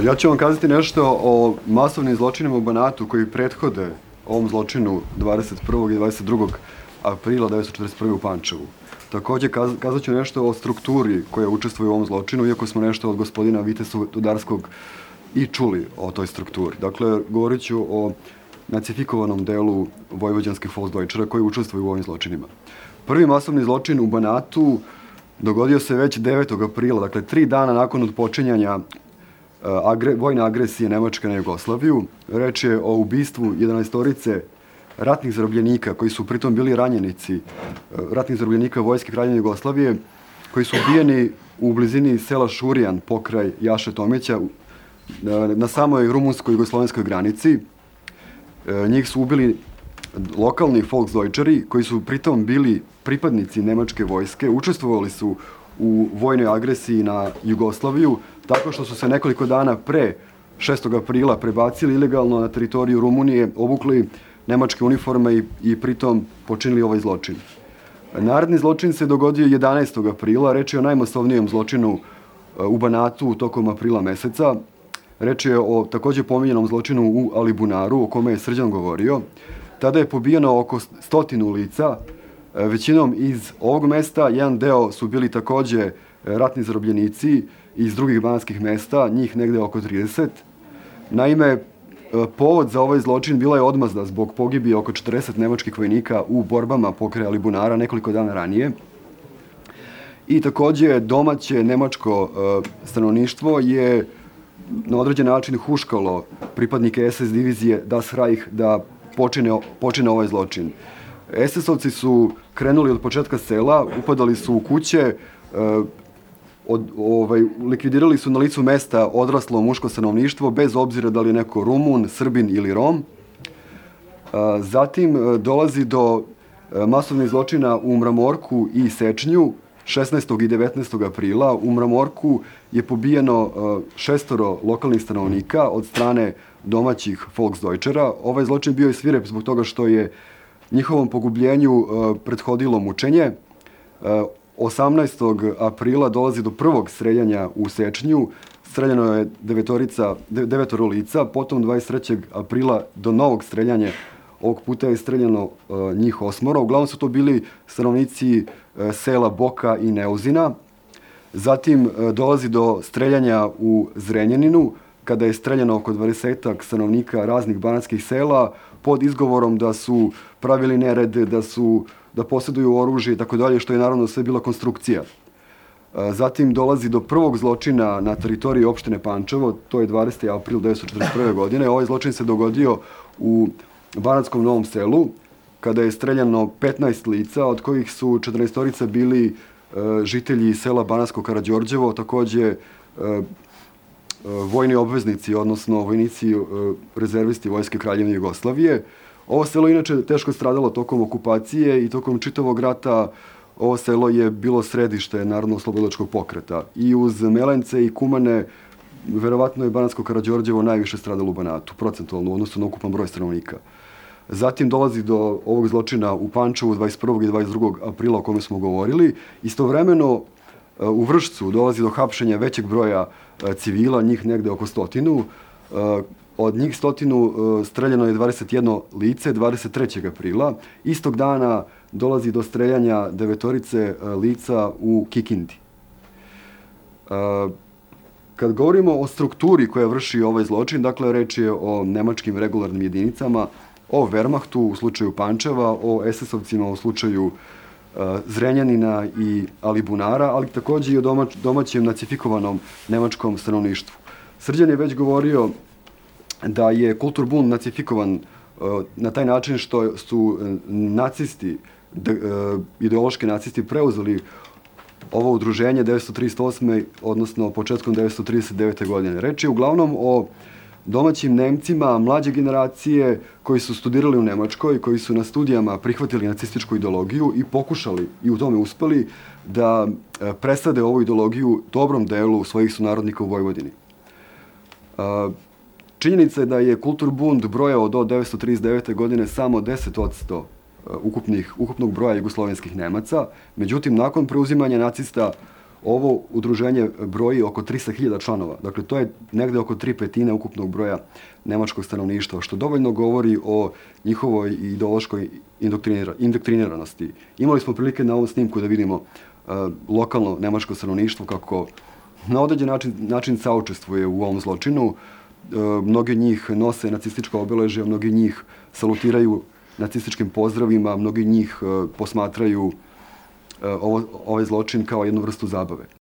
Ja ću vam kazati nešto o masovnim zločinima u Banatu koji prethode ovom zločinu 21. i 22. aprila 1941. u Pančevu. Takođe, kazat ću nešto o strukturi koja učestvuje u ovom zločinu, iako smo nešto od gospodina Vitesu Dudarskog i čuli o toj strukturi. Dakle, govorit ću o nacifikovanom delu vojvođanskih Volksdeutschera koji učestvuju u ovim zločinima. Prvi masovni zločin u Banatu dogodio se već 9. aprila, dakle 3 dana nakon odpočinjanja vojne agresije Nemačke na Jugoslaviju. Reč je o ubistvu 11 ratnih zarobljenika koji su pritom bili ranjenici, ratnih zarobljenika vojske Kraljevine Jugoslavije, koji su ubijeni u blizini sela Šurijan pokraj Jaše Tomića na samoj rumunsko-jugoslovenskoj granici. Njih su ubili lokalni Volksdeutscheri koji su pritom bili pripadnici nemačke vojske, učestvovali su u vojnoj agresiji na Jugoslaviju, tako što su se nekoliko dana pre 6. aprila prebacili ilegalno na teritoriju Rumunije, obukli nemačke uniforme i pritom počinili ovaj zločin. Naredni zločin se dogodio 11. aprila, reč je o najmasovnijem zločinu u Banatu tokom aprila meseca. Reč je o takođe pominjenom zločinu u Alibunaru, o kome je Srđan govorio. Tada je pobijeno oko 100 lica, većinom iz ovog mesta, jedan deo su bili takođe ratni zarobljenici iz drugih banatskih mesta, njih negde oko 30. Naime, povod za ovaj zločin bila je odmazda zbog pogibije oko 40 nemačkih vojnika u borbama pokraj Alibunara nekoliko dana ranije. I takođe domaće nemačko stanovništvo je na određen način huškalo pripadnike SS divizije Das Reich da počine ovaj zločin. SS-ovci su krenuli od početka sela, upadali su u kuće, likvidirali su na licu mesta odraslo muško stanovništvo, bez obzira da li je neko Rumun, Srbin ili Rom. Zatim dolazi do masovnih zločina u Mramorku i Sečnju 16. i 19. aprila. U Mramorku je pobijeno 6 lokalnih stanovnika od strane domaćih Volksdeutschera. Ovaj zločin bio je svirep zbog toga što je njihovom pogubljenju prethodilo mučenje. 18. aprila dolazi do prvog streljanja u Sečnju. Streljano je 9 lica, potom 23. aprila do novog streljanja. Ovog puta je streljano njih 8. Uglavnom su to bili stanovnici sela Boka i Neuzina. Zatim dolazi do streljanja u Zrenjaninu, kada je streljano oko 20 stanovnika raznih banatskih sela pod izgovorom da su pravili nered, da posjeduju oružje i tako dalje, što je naravno sve bila konstrukcija. Zatim dolazi do prvog zločina na teritoriji opštine Pančevo, to je 20. april 1941. godine. Ovaj zločin se dogodio u Banatskom Novom Selu, kada je streljano 15 lica, od kojih su 14 bili žitelji sela Banatsko Karađorđevo, takođe vojni obveznici, odnosno vojnici rezervisti Vojske Kraljevine Jugoslavije. Ovo selo inače teško stradalo tokom okupacije i tokom čitavog rata. Ovo selo je bilo središte Narodno-oslobodilačkog pokreta. I uz Melence i Kumane, verovatno je Banatsko Karađorđevo najviše stradalo u Banatu, procentualno u odnosu na ukupan broj stanovnika. Zatim dolazi do ovog zločina u Pančevu 21. i 22. aprila o kome smo govorili. Istovremeno u Vršcu dolazi do hapšenja većeg broja civila, njih negde oko 100. Od njih 100 streljano je 21 lice 23. aprila. Istog dana dolazi do streljanja 9 lica u Kikindi. Kad govorimo o strukturi koja vrši ovaj zločin, dakle reč je o nemačkim regularnim jedinicama, o Wehrmachtu u slučaju Pančeva, o SS-ovcima u slučaju Zrenjanina i Alibunara, ali takođe i o domaćem nacifikovanom nemačkom stanovništvu. Srđan je već govorio da je Kulturbund nacifikovan na taj način što su nacisti, ideološki nacisti, preuzeli ovo udruženje 1938. odnosno početkom 1939. godine. Reč je uglavnom o domaćim Nemcima mlađe generacije koji su studirali u Nemačkoj, koji su na studijama prihvatili nacističku ideologiju i pokušali, i u tome uspeli, da presade ovu ideologiju dobrom delu svojih sunarodnika u Vojvodini. Činjenica je da je Kulturbund brojao do 1939. godine samo 10% ukupnog broja jugoslovenskih Nemaca. Međutim, nakon preuzimanja nacista Ovo udruženje broji oko 300.000 članova. Dakle, to je negde oko 3/5 ukupnog broja nemačkog stanovništva, što dovoljno govori o njihovoj ideološkoj indoktriniranosti. Imali smo prilike na ovom snimku da vidimo lokalno nemačko stanovništvo kako na određen način saučestvuje u ovom zločinu. Mnogi od njih nose nacistička obeležja, mnogi od njih salutiraju nacističkim pozdravima, mnogi od njih posmatraju ovaj zločin kao jednu vrstu zabave.